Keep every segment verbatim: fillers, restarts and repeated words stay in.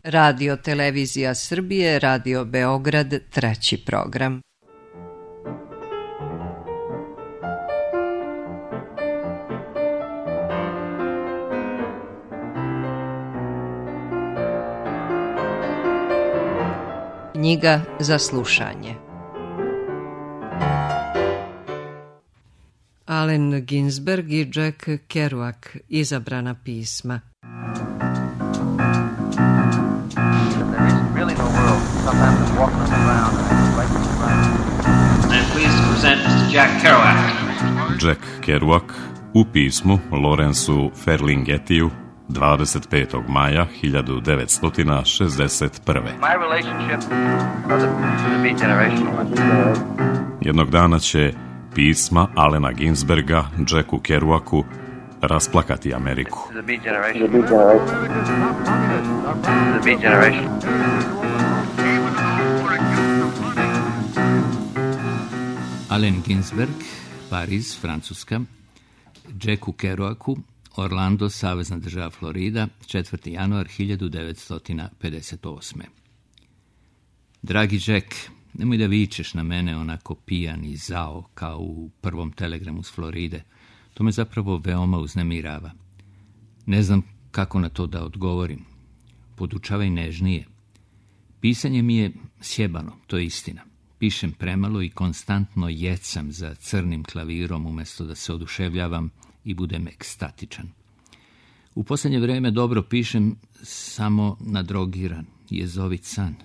Radio Televizija Srbije, Radio Beograd, treći program. Knjiga za slušanje. Allen Ginsberg i Jack Kerouac, izabrana pisma. Jack Kerouac u pismu Lawrenceu Ferlinghettiju dvadeset petog maja hiljadu devetsto šezdeset prve. Jednog dana će pisma Allena Ginsberga Jacku Kerouacu rasplakati Ameriku. Allen Ginsberg, Pariz, Francuska, Jacku Kerouacu, Orlando, Savezna država Florida, četvrti januar hiljadu devetsto pedeset osme. Dragi Jack, nemoj da vičeš na mene onako pijan i zao kao u prvom telegramu s Floride. To me zapravo veoma uznemirava. Ne znam kako na to da odgovorim. Podučavaj nežnije. Pisanje mi je sjebano, to je istina. Pišem premalo i konstantno jecam za crnim klavirom umjesto da se oduševljavam i budem ekstatičan. U posljednje vrijeme dobro pišem samo na drogiran, jezovit san.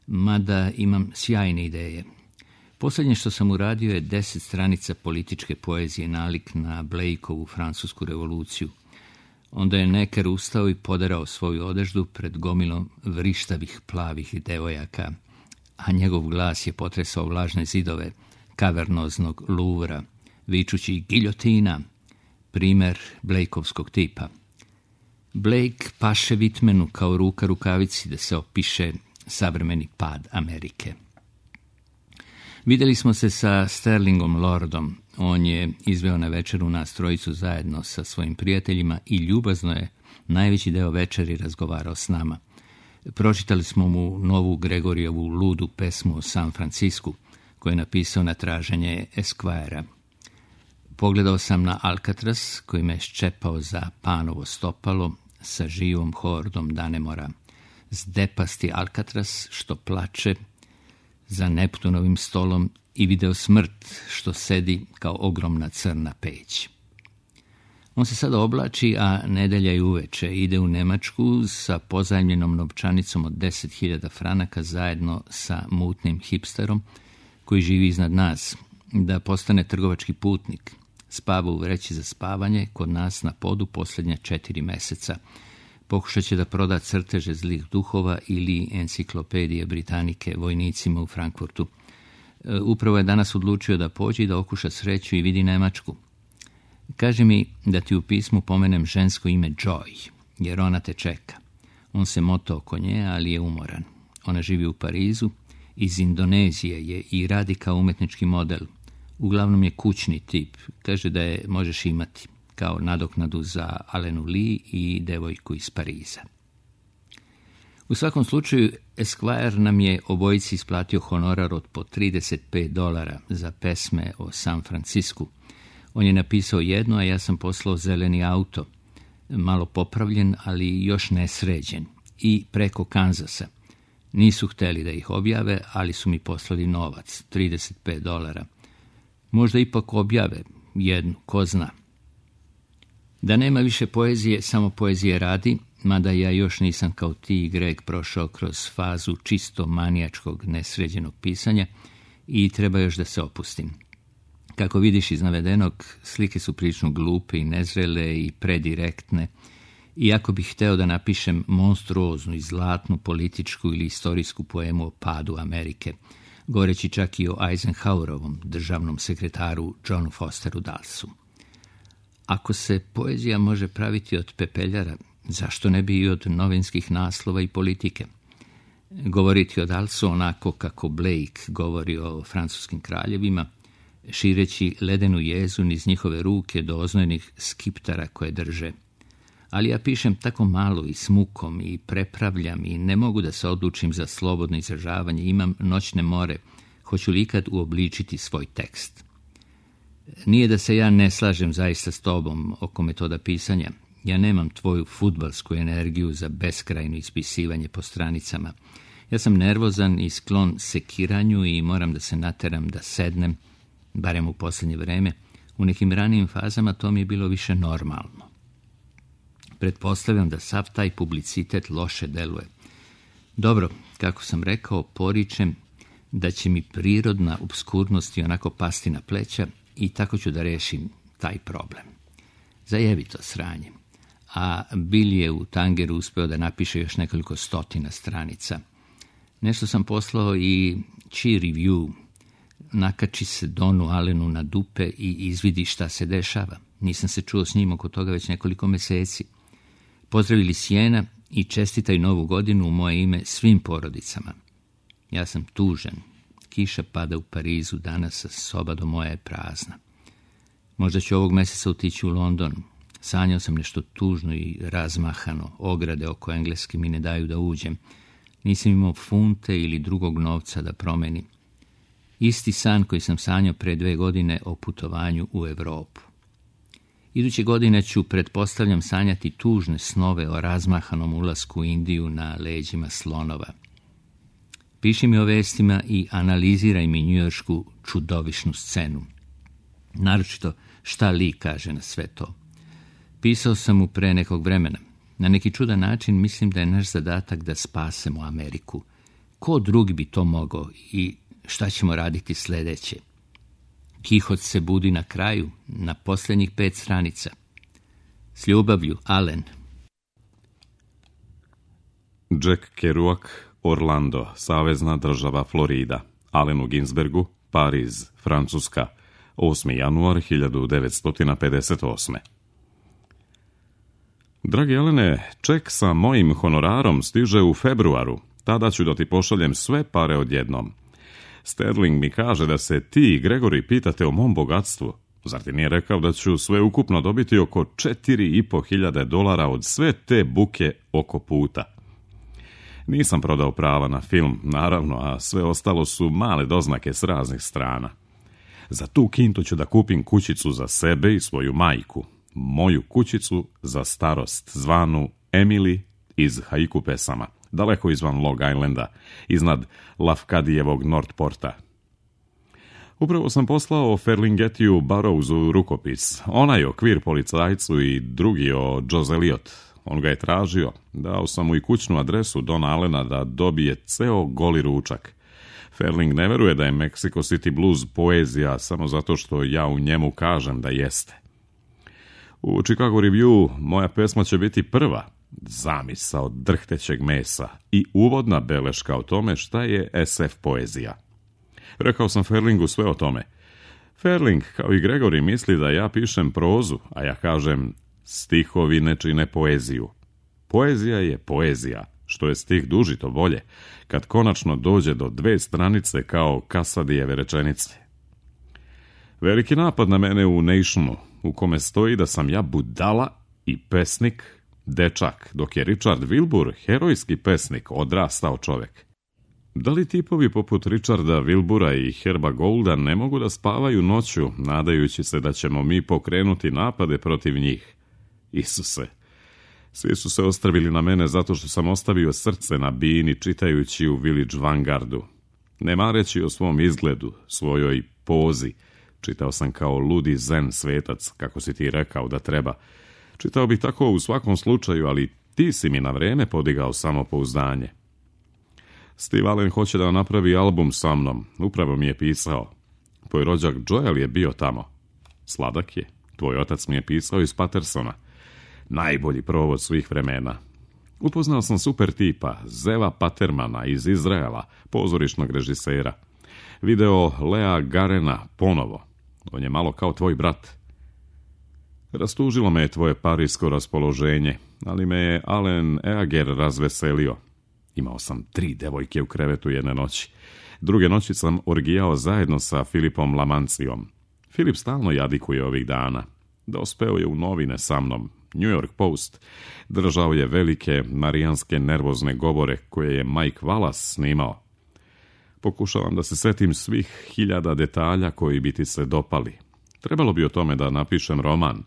Mada imam sjajne ideje. Posljednje što sam uradio je deset stranica političke poezije nalik na Blakeovu francusku revoluciju. Onda je Necker ustao i poderao svoju odeždu pred gomilom vrištavih plavih devojaka, a njegov glas je potresao vlažne zidove kavernoznog Louvra, vičući giljotina, primer Blakeovskog tipa. Blake paše Whitmanu kao ruka rukavici da se opiše savremeni pad Amerike. Vidjeli smo se sa Sterlingom Lordom. On je izveo na večeru nas trojicu zajedno sa svojim prijateljima i ljubazno je najveći deo večeri razgovarao s nama. Pročitali smo mu novu Gregorijevu ludu pesmu o San Francisku, koju je napisao na traženje Esquire-a. Pogledao sam na Alcatraz, koji me ščepao za panovo stopalo sa živom hordom Danemora. Zdepasti Alcatraz što plače za Neptunovim stolom i video smrt što sedi kao ogromna crna peć. On se sada oblači, a nedelja i uveče ide u Nemačku sa pozajmljenom novčanicom od deset hiljada franaka zajedno sa mutnim hipsterom koji živi iznad nas, da postane trgovački putnik. Spava u vreći za spavanje kod nas na podu posljednja četiri meseca. Pokušat će da proda crteže zlih duhova ili enciklopedije Britanike vojnicima u Frankfurtu. Upravo je danas odlučio da pođe i da okuša sreću i vidi Nemačku. Kaže mi da ti u pismu pomenem žensko ime Joy, jer ona te čeka. On se moto oko nje, ali je umoran. Ona živi u Parizu, iz Indonezije je i radi kao umetnički model. Uglavnom je kućni tip. Kaže da je možeš imati kao nadoknadu za Alenu Lee i devojku iz Pariza. U svakom slučaju, Esquire nam je obojici isplatio honorar od po trideset pet dolara za pesme o San Francisku. On je napisao jedno, a ja sam poslao zeleni auto, malo popravljen, ali još nesređen, i preko Kanzasa. Nisu hteli da ih objave, ali su mi poslali novac, trideset pet dolara. Možda ipak objave jednu, ko zna. Da nema više poezije, samo poezije radi, mada ja još nisam kao ti i Greg prošao kroz fazu čisto manijačkog nesređenog pisanja i treba još da se opustim. Kako vidiš iz navedenog, slike su prilično glupe i nezrele i predirektne, iako bih hteo da napišem monstruoznu i zlatnu političku ili istorijsku poemu o padu Amerike, govoreći čak i o Eisenhowerovom državnom sekretaru Johnu Fosteru Dullesu. Ako se poezija može praviti od pepeljara, zašto ne bi i od novinskih naslova i politike? Govoriti o Dullesu onako kako Blake govori o francuskim kraljevima, šireći ledenu jezu niz njihove ruke do oznojnih skiptara koje drže. ali ja pišem tako malo i s mukom i prepravljam i ne mogu da se odlučim za slobodno izražavanje, imam noćne more, hoću li ikad uobličiti svoj tekst. Nije da se ja ne slažem zaista s tobom oko metoda pisanja, ja nemam tvoju fudbalsku energiju za beskrajno ispisivanje po stranicama. Ja sam nervozan i sklon sekiranju i moram da se nateram da sednem, barem u posljednje vreme. U nekim ranijim fazama to mi je bilo više normalno. Pretpostavljam da sav taj publicitet loše deluje. Dobro, kako sam rekao, poričem da će mi prirodna obskurnost i onako pasti na pleća i tako ću da rešim taj problem. Zajebito sranje. A Bill je u Tangeru uspeo da napiše još nekoliko stotina stranica. Nešto sam poslao i Chi Review. Nakači se Donu Allenu na dupe i izvidi šta se dešava. Nisam se čuo s njim oko toga već nekoliko meseci. Pozdravili Sjena i čestitaj novu godinu u moje ime svim porodicama. Ja sam tužan. Kiša pada u Parizu, danas soba do moja je prazna. Možda ću ovog meseca otići u London. Sanjao sam nešto tužno i razmahano. Ograde oko Engleske mi ne daju da uđem. Nisam imao funte ili drugog novca da promenim. Isti san koji sam sanjao pre dve godine o putovanju u Evropu. Iduće godine ću, pretpostavljam, sanjati tužne snove o razmahanom ulasku u Indiju na leđima slonova. Piši mi o vestima i analiziraj mi njujoršku čudovišnu scenu. Naročito šta Lee kaže na sve to. Pisao sam mu pre nekog vremena. Na neki čudan način mislim da je naš zadatak da spasemo Ameriku. Ko drugi bi to mogao i šta ćemo raditi sljedeće? Kihot se budi na kraju, na posljednjih pet stranica. S ljubavlju, Allen. Jack Kerouac, Orlando, savezna država Florida. Allenu Ginsbergu, Pariz, Francuska, osmi januar hiljadu devetsto pedeset osme. Dragi Alene, ček sa mojim honorarom stiže u februaru. Tada ću da ti pošaljem sve pare odjednom. Sterling mi kaže da se ti i Gregory pitate o mom bogatstvu. Zar ti nije rekao da ću sve ukupno dobiti oko četiri i po hiljade dolara od sve te buke oko puta? Nisam prodao prava na film, naravno, a sve ostalo su male doznake s raznih strana. Za tu kintu ću da kupim kućicu za sebe i svoju majku. Moju kućicu za starost, zvanu Emily iz haiku pesama, daleko izvan Long Islanda, iznad Lafkadijevog Northporta. Upravo sam poslao Ferlinghetiju Burroughsu rukopis, onaj okvir policajcu i drugi o Joe Eliot. On ga je tražio, dao sam mu i kućnu adresu Dona Allena da dobije ceo goli ručak. Ferling ne veruje da je Mexico City Blues poezija samo zato što ja u njemu kažem da jeste. U Chicago Review moja pesma će biti prva, zamisao drhtećeg mesa i uvodna beleška o tome šta je es ef poezija. Rekao sam Ferlingu sve o tome. Ferling, kao i Gregory, misli da ja pišem prozu, a ja kažem stihovi ne čine poeziju. Poezija je poezija, što je stih duži to bolje, kad konačno dođe do dve stranice kao Kasadijeve rečenice. Veliki napad na mene u Nationu, u kome stoji da sam ja budala i pesnik, dečak, dok je Richard Wilbur, herojski pesnik, odrastao čovek. Da li tipovi poput Richarda Wilbura i Herba Goulda ne mogu da spavaju noću, nadajući se da ćemo mi pokrenuti napade protiv njih? Isuse, svi su se ostrvili na mene zato što sam ostavio srce na bini čitajući u Village Vanguardu. Ne mareći o svom izgledu, svojoj pozi, čitao sam kao ludi zen svetac, kako si ti rekao da treba. Čitao bih tako u svakom slučaju, ali ti si mi na vreme podigao samopouzdanje. Steve Allen hoće da napravi album sa mnom, upravo mi je pisao. Tvoj rođak Joel je bio tamo. Sladak je, tvoj otac mi je pisao iz Patersona. Najbolji provod svih vremena. Upoznao sam super tipa, Zeva Patermana iz Izraela, pozorišnog režisera. Video Lea Garena ponovo. On je malo kao tvoj brat. Rastužilo me je tvoje parijsko raspoloženje, ali me je Allen Eager razveselio. Imao sam tri devojke u krevetu jedne noći. Druge noći sam orgijao zajedno sa Filipom Lamancijom. Filip stalno jadikuje ovih dana. Dospeo je u novine sa mnom. New York Post, držao je velike marijanske nervozne govore koje je Mike Wallace snimao. Pokušavam da se setim svih hiljada detalja koji bi ti se dopali. Trebalo bi o tome da napišem roman.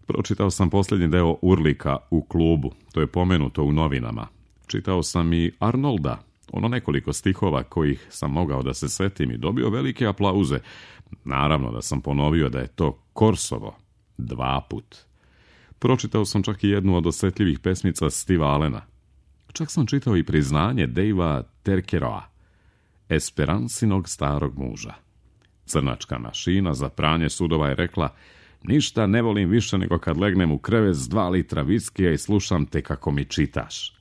Pročitao sam posljednji deo Urlika u klubu, to je pomenuto u novinama. Čitao sam i Arnolda, ono nekoliko stihova kojih sam mogao da se setim i dobio velike aplauze. Naravno da sam ponovio da je to Korsovo. Dva put. Pročitao sam čak i jednu od osjetljivih pesmica Steva Allena. Čak sam čitao i priznanje Davea Terkeroa, Esperansinog starog muža. Crnačka mašina za pranje sudova je rekla: ništa ne volim više nego kad legnem u krevet s dva litra viskija i slušam te kako mi čitaš.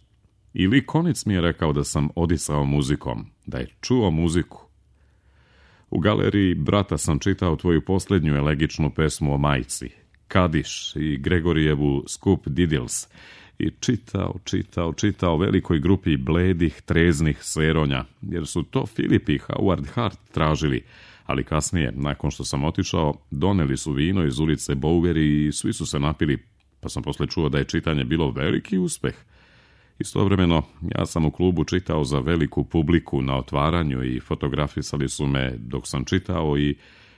I Lee Konitz mi je rekao da sam odisao muzikom, da je čuo muziku. U galeriji brata sam čitao tvoju posljednju elegičnu pesmu o majci, Kadiš i Gregorijevu Skup Didils, i čitao, čitao, čitao velikoj grupi bledih, treznih seronja, jer su to Filip i Howard Hart tražili, ali kasnije, nakon što sam otišao, doneli su vino iz ulice Bowery i svi su se napili, pa sam posle čuo da je čitanje bilo veliki uspeh. Istovremeno, ja sam u klubu čitao za veliku publiku na otvaranju i fotografisali su me dok sam čitao i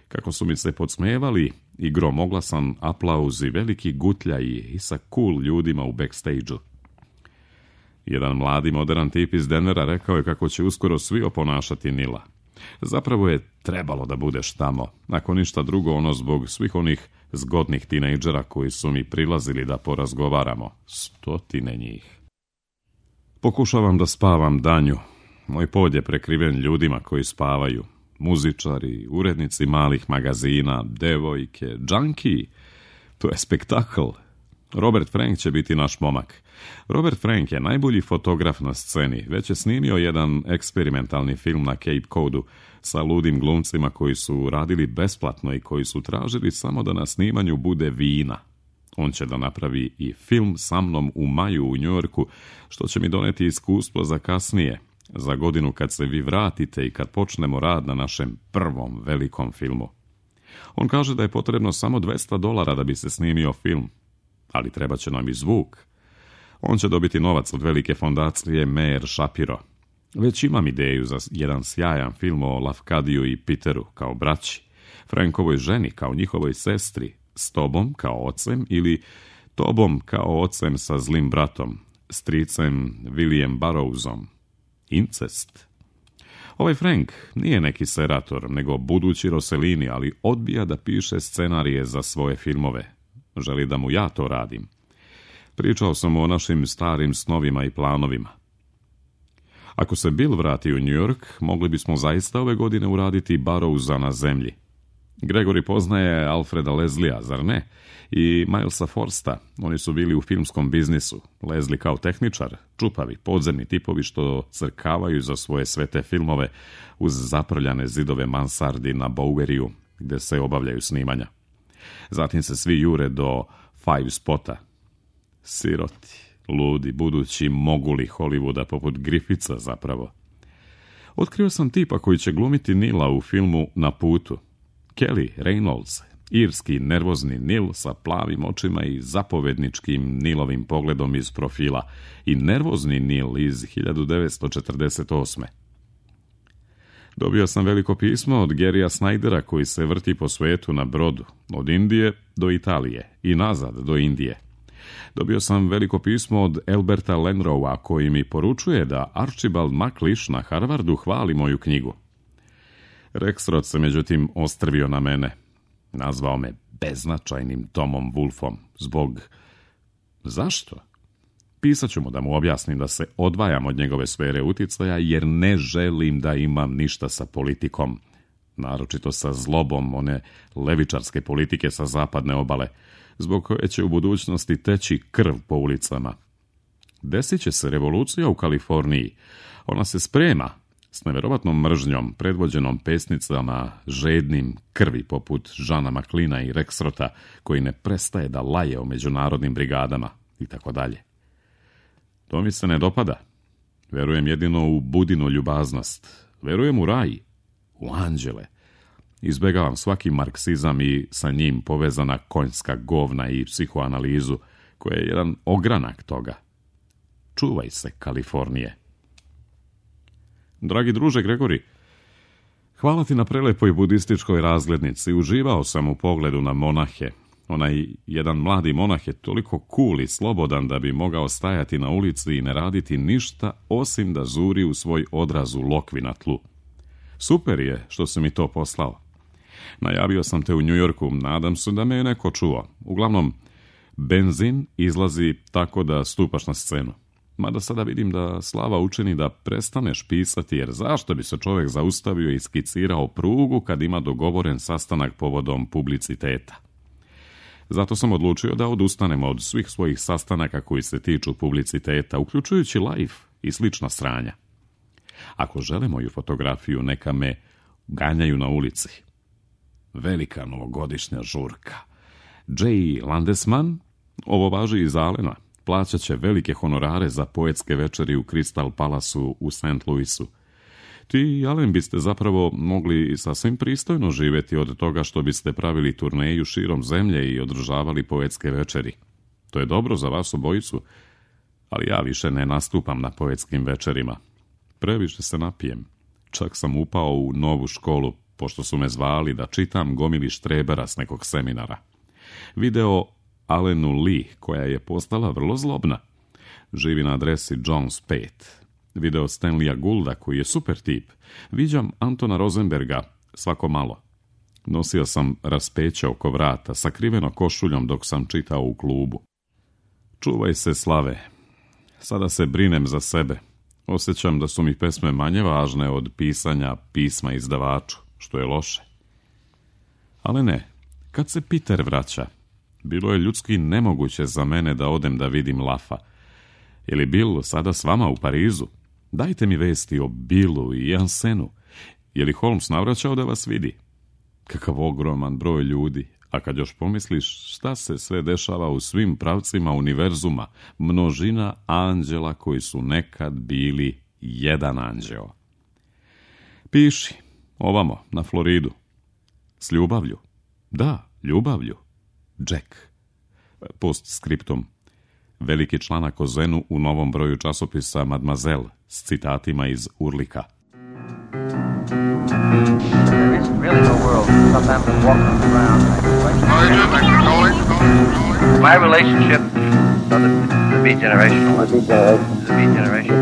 kako su mi se podsmevali i gromoglasan aplauz i veliki gutljaji i sa cool ljudima u backstage-u. Jedan mladi modern tip iz Denvera rekao je kako će uskoro svi oponašati Nila. Zapravo je trebalo da budeš tamo, ako ništa drugo ono zbog svih onih zgodnih tinejdžera koji su mi prilazili da porazgovaramo. Stotine njih. Pokušavam da spavam danju. Moj pod je prekriven ljudima koji spavaju. Muzičari, urednici malih magazina, devojke, džanki. To je spektakl. Robert Frank će biti naš momak. Robert Frank je najbolji fotograf na sceni. Već je snimio jedan eksperimentalni film na Cape Codu sa ludim glumcima koji su radili besplatno i koji su tražili samo da na snimanju bude vina. On će da napravi i film sa mnom u maju u Njujorku, što će mi doneti iskustvo za kasnije, za godinu kad se vi vratite i kad počnemo rad na našem prvom velikom filmu. On kaže da je potrebno samo dvesta dolara da bi se snimio film, ali treba će nam i zvuk. On će dobiti novac od velike fondacije Meir Shapiro. Već imam ideju za jedan sjajan film o Lafkadiju i Peteru kao braći, Frankovoj ženi kao njihovoj sestri, s tobom kao ocem ili tobom kao ocem sa zlim bratom, stricem William Burroughsom. Incest. Ovaj Frank nije neki serator, nego budući Rossellini, ali odbija da piše scenarije za svoje filmove. Želi da mu ja to radim. Pričao sam mu o našim starim snovima i planovima. Ako se Bill vrati u New York, mogli bismo zaista ove godine uraditi Burroughsa na zemlji. Gregory poznaje Alfreda Leslija, zar ne? I Milesa Forsta, oni su bili u filmskom biznisu. Leslie kao tehničar, čupavi, podzemni tipovi što crkavaju za svoje svete filmove uz zaprljane zidove mansardi na Boweriju, gde se obavljaju snimanja. Zatim se svi jure do Five Spota. Siroti, ludi, budući moguli Hollywooda poput Griffitha zapravo. Otkrio sam tipa koji će glumiti Nila u filmu Na putu. Kelly Reynolds, irski nervozni Nil sa plavim očima i zapovedničkim Nilovim pogledom iz profila, i nervozni Nil iz hiljadu devetsto četrdeset osme. Dobio sam veliko pismo od Garya Snydera koji se vrti po svetu na brodu, od Indije do Italije i nazad do Indije. Dobio sam veliko pismo od Alberta Lenrowa koji mi poručuje da Archibald MacLeish na Harvardu hvali moju knjigu. Rexroth se međutim ostrvio na mene. Nazvao me beznačajnim Tomom Wolfom. Zbog... Zašto? Pisat ću mu da mu objasnim da se odvajam od njegove sfere uticaja jer ne želim da imam ništa sa politikom. Naročito sa zlobom one levičarske politike sa zapadne obale, zbog koje će u budućnosti teći krv po ulicama. Desit će se revolucija u Kaliforniji. Ona se sprema s neverovatnom mržnjom, predvođenom pesnicama žednim krvi poput Žana Maklina i Rexrota, koji ne prestaje da laje o međunarodnim brigadama i tako dalje. To mi se ne dopada. Verujem jedino u Budinu ljubaznost. Verujem u raj, u anđele. Izbegavam svaki marksizam i sa njim povezana konjska govna i psihoanalizu, koja je jedan ogranak toga. Čuvaj se, Kalifornije. Dragi druže Gregori, hvala ti na prelepoj budističkoj razglednici. Uživao sam u pogledu na monahe. Onaj jedan mladi monah je toliko cool i slobodan da bi mogao stajati na ulici i ne raditi ništa osim da zuri u svoj odraz u lokvi na tlu. Super je što si mi to poslao. Najavio sam te u Njujorku, nadam se da me je neko čuo. Uglavnom, benzin izlazi tako da stupaš na scenu. Mada sada vidim da slava učini da prestaneš pisati, jer zašto bi se čovjek zaustavio i skicirao prugu kad ima dogovoren sastanak povodom publiciteta? Zato sam odlučio da odustanem od svih svojih sastanaka koji se tiču publiciteta, uključujući live i slična sranja. Ako žele moju fotografiju, neka me ganjaju na ulici. Velika novogodišnja žurka. Jay Landesman, ovo važi i za Alena, plaćat će velike honorare za poetske večeri u Crystal Palace-u u Saint Louisu. Ti i Alen biste zapravo mogli sasvim pristojno živjeti od toga što biste pravili turneju širom zemlje i održavali poetske večeri. To je dobro za vas obojicu, ali ja više ne nastupam na poetskim večerima. Previše se napijem. Čak sam upao u novu školu, pošto su me zvali da čitam gomili štrebera s nekog seminara. Video Alenu Lee, koja je postala vrlo zlobna. Živi na adresi Jones pet. Video Stanleya Goulda, koji je super tip. Viđam Antona Rosenberga svako malo. Nosio sam raspeće oko vrata, sakriveno košuljom dok sam čitao u klubu. Čuvaj se, Slave. Sada se brinem za sebe. Osjećam da su mi pesme manje važne od pisanja pisma izdavaču, što je loše. Ali ne, kad se Peter vraća, bilo je ljudski nemoguće za mene da odem da vidim Lafa. Je li Bill sada s vama u Parizu? Dajte mi vesti o Billu i Jansenu. Je li Holmes navraćao da vas vidi? Kakav ogroman broj ljudi. A kad još pomisliš šta se sve dešava u svim pravcima univerzuma, množina anđela koji su nekad bili jedan anđeo. Piši, ovamo, na Floridu. S ljubavlju. Da, ljubavlju. Jack. Postskriptum. Veliki članak o Zenu u novom broju časopisa Mademoiselle s citatima iz Urlika. There isn't really no world. Sometimes I'm walking around like my relationship, so the, the beat generational. The beat generation.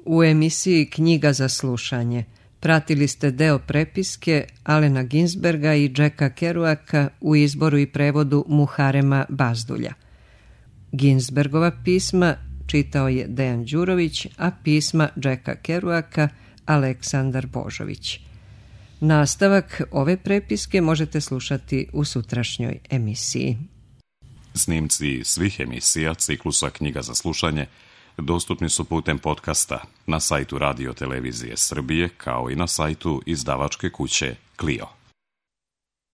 U emisiji Knjiga za slušanje pratili ste deo prepiske Alena Ginsberga i Jacka Kerouaka u izboru i prevodu Muharema Bazdulja. Ginsbergova pisma čitao je Dejan Đurović, a pisma Jacka Kerouaka Aleksandar Božović. Nastavak ove prepiske možete slušati u sutrašnjoj emisiji. Snimci svih emisija ciklusa Knjiga za slušanje dostupni su putem podcasta na sajtu Radio Televizije Srbije, kao i na sajtu izdavačke kuće Clio.